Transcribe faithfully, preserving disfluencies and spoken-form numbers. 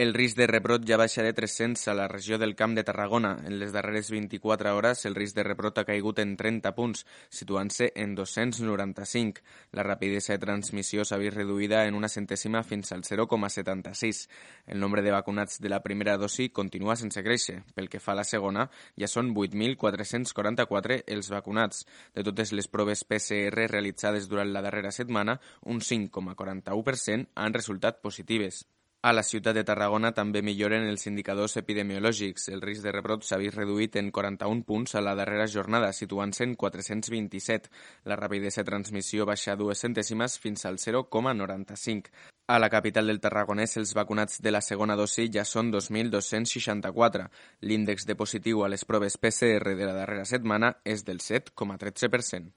El risc de rebrot ja baixa de tres-cents a la regió del Camp de Tarragona. En les darreres vint-i-quatre hores, el risc de rebrot ha caigut en trenta punts, situant-se en dos-cents noranta-cinc. La rapidesa de transmissió s'ha vist reduïda en una centèsima fins al zero coma setanta-sis. El nombre de vacunats de la primera dosi continua sense créixer. Pel que fa a la segona, ja són vuit mil quatre-cents quaranta-quatre els vacunats. De totes les proves P C R realitzades durant la darrera setmana, un cinc coma quaranta-u per cent han resultat positives. A la ciutat de Tarragona també milloren els indicadors epidemiològics. El risc de rebrot s'ha vist reduït en quaranta-un punts a la darrera jornada, situant-se en quatre-cents vint-i-set. La rapidesa de transmissió baixa dues centèsimes fins al zero coma noranta-cinc. A la capital del Tarragonès, els vacunats de la segona dosi ja són dos mil dos-cents seixanta-quatre. L'índex de positiu a les proves P C R de la darrera setmana és del set coma tretze per cent.